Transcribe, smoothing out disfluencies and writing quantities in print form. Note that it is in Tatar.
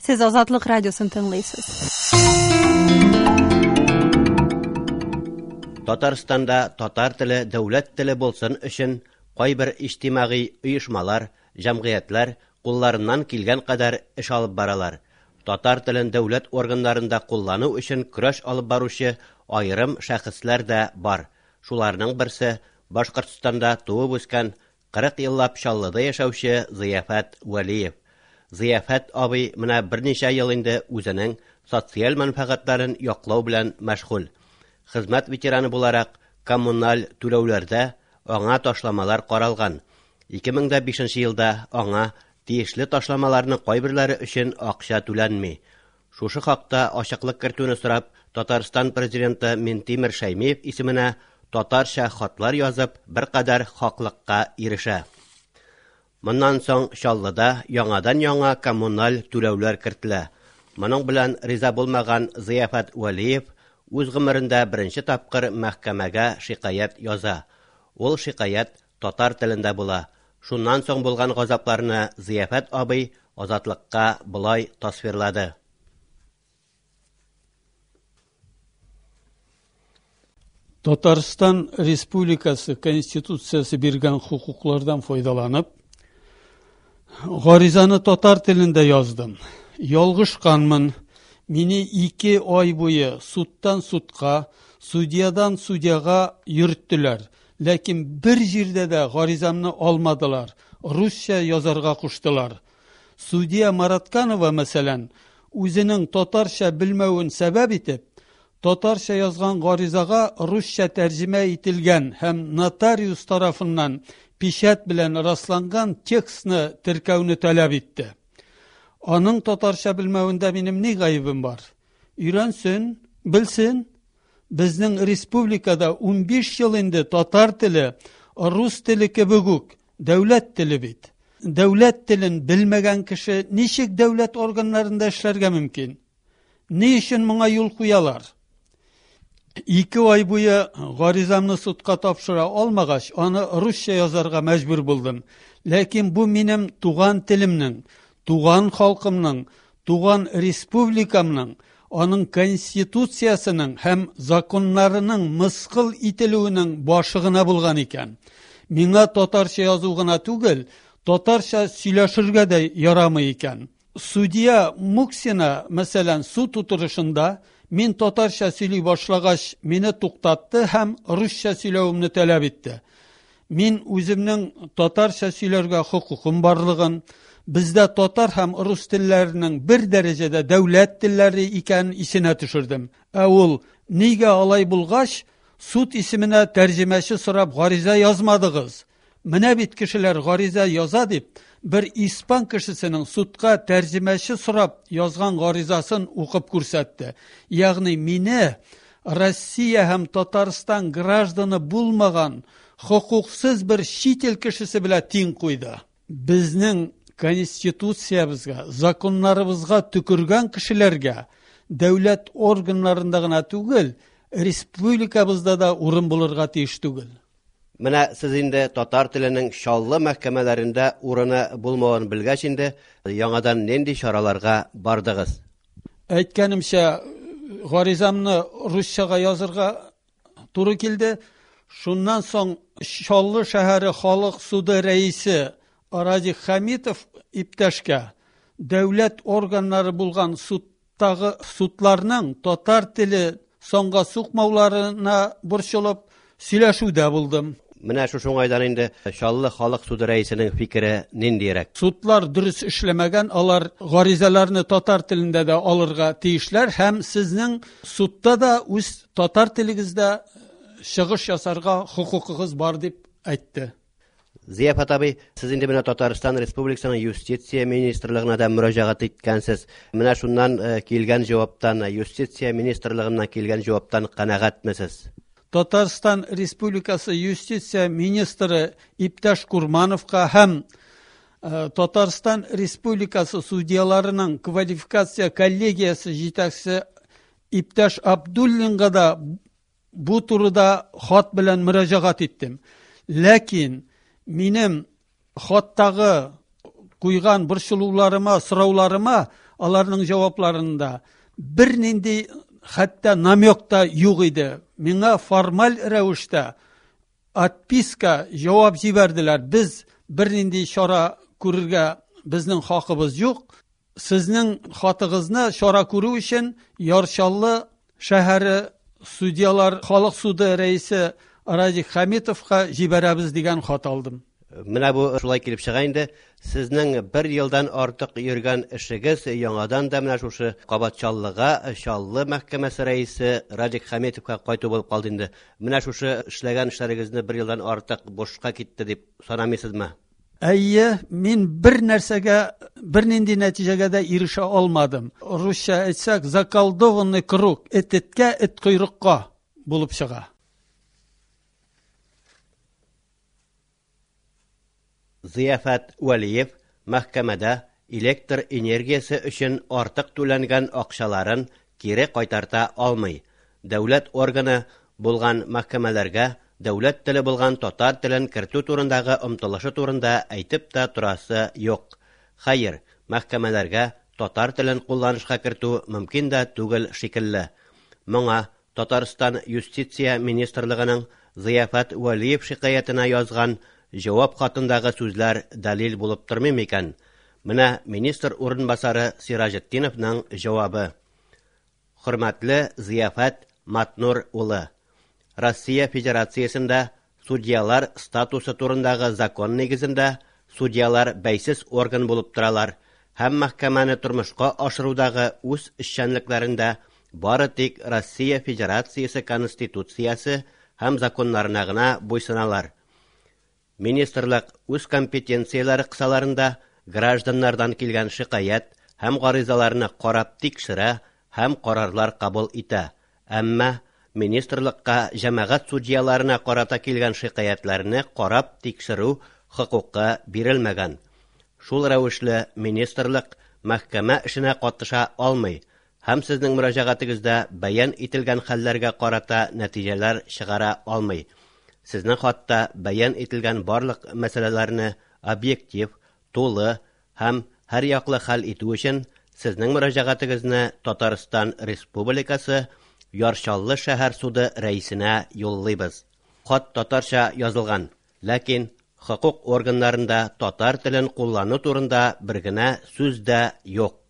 Сез Азатлык радиосын тыңлыйсыз. Татарстанда татар теле дәүләт теле булсын өчен кайбер иҗтимагый оешмалар, җәмгыятьләр кулларыннан килгән кадәр эш алып баралар. Татар телен дәүләт органнарында куллану өчен көрәш алып баручы аерым шәхесләр дә бар. Шуларның берсе Башкортстанда туып үскән 40 еллап Чаллыда яшәүче Зыяфәт Вәлиев. Зыяфәт абый менә берничә ел инде үзенең социаль мәнфәгатьләрен яклау белән мәшгуль. Хезмәт ветераны буларак, коммуналь түләүләрдә аңа ташламалар каралган. 2005 елда аңа тиешле ташламаларның кайберләре өчен акча түләнми. Шушы хакта ачыклык кертүне сорап, Татарстан президенты Минтимер Шәймиев исеменә татарча хатлар язып, беркадәр хаклыкка ирешә. Моннан соң Чаллыда яңадан-яңа коммуналь түләүләр кертелә. Моның белән риза булмаган Зыяфәт Вәлиев үз гомерендә беренче тапкыр мәхкәмәгә шикаять яза. Ул шикаять татар телендә була. Шуннан соң булган газапларны Зыяфәт абый Азатлыкка болай тасвирлады. Татарстан Республикасы Конституциясе биргән хокуклардан файдаланып, гаризаны татар телендә яздым. Ялгышканмын. Мине ике ай буе судтан судка, судьядан судьяга йөрттеләр. Ләкин бер җирдә дә гаризамны алмадылар, русча язарга куштылар. Судья Маратканова, мәсәлән, үзенең татарча белмәвен сәбәп итеп, татарча язган гаризага русча тәрҗемә ителгән һәм нотариус тарафыннан печать белән расланган текстны теркәүне таләп итте. Аның татарча белмәвендә минем ни гаебем бар? Өйрәнсен, белсен. Безнең республикада 15 ел инде татар теле, рус теле кебек үк, дәүләт теле бит. Дәүләт телен белмәгән кеше ничек дәүләт органнарында эшләргә мөмкин? Ни өчен моңа юл куялар? Ике ай буе гаризамны судка тапшыра алмагач, аны русча язарга мәҗбүр булдым. Ләкин бу минем туган телемнең, туган халкымның, туган республикамның, аның конституциясенең һәм законнарының мыскыл ителүенең башы гына булган икән. Миңа татарча язу гына түгел, татарча сөйләшергә дә ярамый икән. Судья Муксина, мәсәлән, суд утырышында мин татарча сөйли башлагач, мине туктатты һәм русча сөйләвемне таләп итте. Мин үземнең татарча сөйләргә хокукым барлыгын, бездә татар һәм рус телләренең бер дәрәҗәдә дәүләт телләре икәнен исенә төшердем. Ә ул, нигә алай булгач, суд исеменә тәрҗемәче сорап гариза язмадыгыз? Менә бит кешеләр гариза яза дип, бер испан кешесенең судка тәрҗемәче сорап язган гаризасын укып күрсәтте. Ягъни мине Россия һәм Татарстан гражданы булмаган хокуксыз бер чит ил кешесе белән тиң куйды. Безнең конституциябезгә, законнарыбызга төкергән кешеләргә дәүләт органнарында гына түгел, республикабызда да урын булырга тиеш түгел. Менә сез инде татар теленең Чаллы мәхкәмәләрендә урыны булмавын белгәч инде, яңадан нинди чараларга бардыгыз? Әйткәнемчә, гаризамны русчага язырга туры килде. Шуннан соң Чаллы шәһәре халык суды рәисе Радик Хәмитов иптәшкә дәүләт органнары булган судтагы судларның татар теле санга сукмауларына борчылып сөйләшүдә булдым. Менә шушы уңайдан инде Чаллы халык суды рәисенең фикере ниндирәк? Судлар дөрес эшләмәгән, алар гаризаларны татар телендә дә алырга тиешләр һәм сезнең судта да үз татар телегездә чыгыш ясарга хокукыгыз бар дип әйтте. Зияфат абый, сез инде менә Татарстан Республикасының юстиция министрлыгына да мөрәҗәгать иткәнсез. Менә шуннан килгән җаваптан, юстиция министрлыгыннан килгән җаваптан канәгатьме сез? Татарстан Республикасы юстиция министры иптәш Курмановка һәм Татарстан Республикасы судьяларының квалификация коллегиясе җитәкчесе иптәш Абдуллинга да бу турыда хат белән мөрәҗәгать иттем. Ләкин минем хаттагы куйган борчылуларыма, сорауларыма Аларның җавапларында бернинди хәтта намек та юк иде. Миңа формаль рәвештә отписка җавап җибәрделәр. Без бернинди чара күрергә безнең хакыбыз юк. Сезнең хатыгызны чара күрү өчен Яр Чаллы шәһәре судьялар халык суды рәисе Радик Хәмитовка җибәрәбез дигән хат алдым. Менә бу шулай килеп чыга инде. Сезнең бер елдан артык йөргән эшегез яңадан да менә шушы кабат Чаллыга, Чаллы мәхкәмәсе рәисе Радик Хәмитовка кайту булып калды инде. Менә шушы эшләгән эшләрегезне бер елдан артык бушка китте дип санамыйсызмы? Әйе, мин бер нәрсәгә, бернинди нәтиҗәгә дә ирешә алмадым. Русча әйтсәк, заколдованный круг, эт эткә, эт койрыкка булып чыга. Зыяфәт Вәлиев мәхкәмәдә электр энергиясе өчен артык түләнгән акчаларын кире кайтарта алмый. Дәүләт органы булган мәхкәмәләргә дәүләт теле булган татар телен кертү турындагы омтылышы турында әйтеп тә торасы юк. Хәер, мәхкәмәләргә татар телен кулланышка кертү мөмкин дә түгел шикелле. Моңа Татарстан Юстиция министрлыгының Зыяфәт Вәлиев шикаятенә язган җавап хатындагы сүзләр дәлил булып тормый микән? Менә министр урынбасары Сираҗетдиновның җавабы. Хөрмәтле Зыяфәт Матнур улы, Россия Федерациясендә судьялар статусы турындагы закон нигезендә судьялар бәйсез орган булып торалар һәм мәхкәмәне тормышка ашырудагы үз эшчәнлекләрендә бары тик Россия Федерациясе Конституциясе һәм законнарына гына буйсыналар. Министрлык үз компетенцияләре кысаларында гражданнардан килгән шикаять һәм гаризаларны карап тикшерә һәм карарлар кабул итә. Әмма министрлыкка җәмәгать судьяларына карата килгән шикаятьләрне карап тикшерү хокукы бирелмәгән. Шул рәвешле министрлык мәхкәмә эшенә катыша алмый һәм сезнең мөрәҗәгатегездә бәян ителгән хәлләргә карата нәтиҗәләр чыгара алмый. Сезнең хатта бәян ителгән барлык мәсьәләләрне объектив, тулы һәм һәрьяклы хәл итү өчен сезнең мөрәҗәгатегезне Татарстан Республикасы Яр Чаллы шәһәр суды рәисенә юллыйбыз. Хат татарча язылган, ләкин хокук органнарында татар телен куллану турында бер генә сүз дә юк.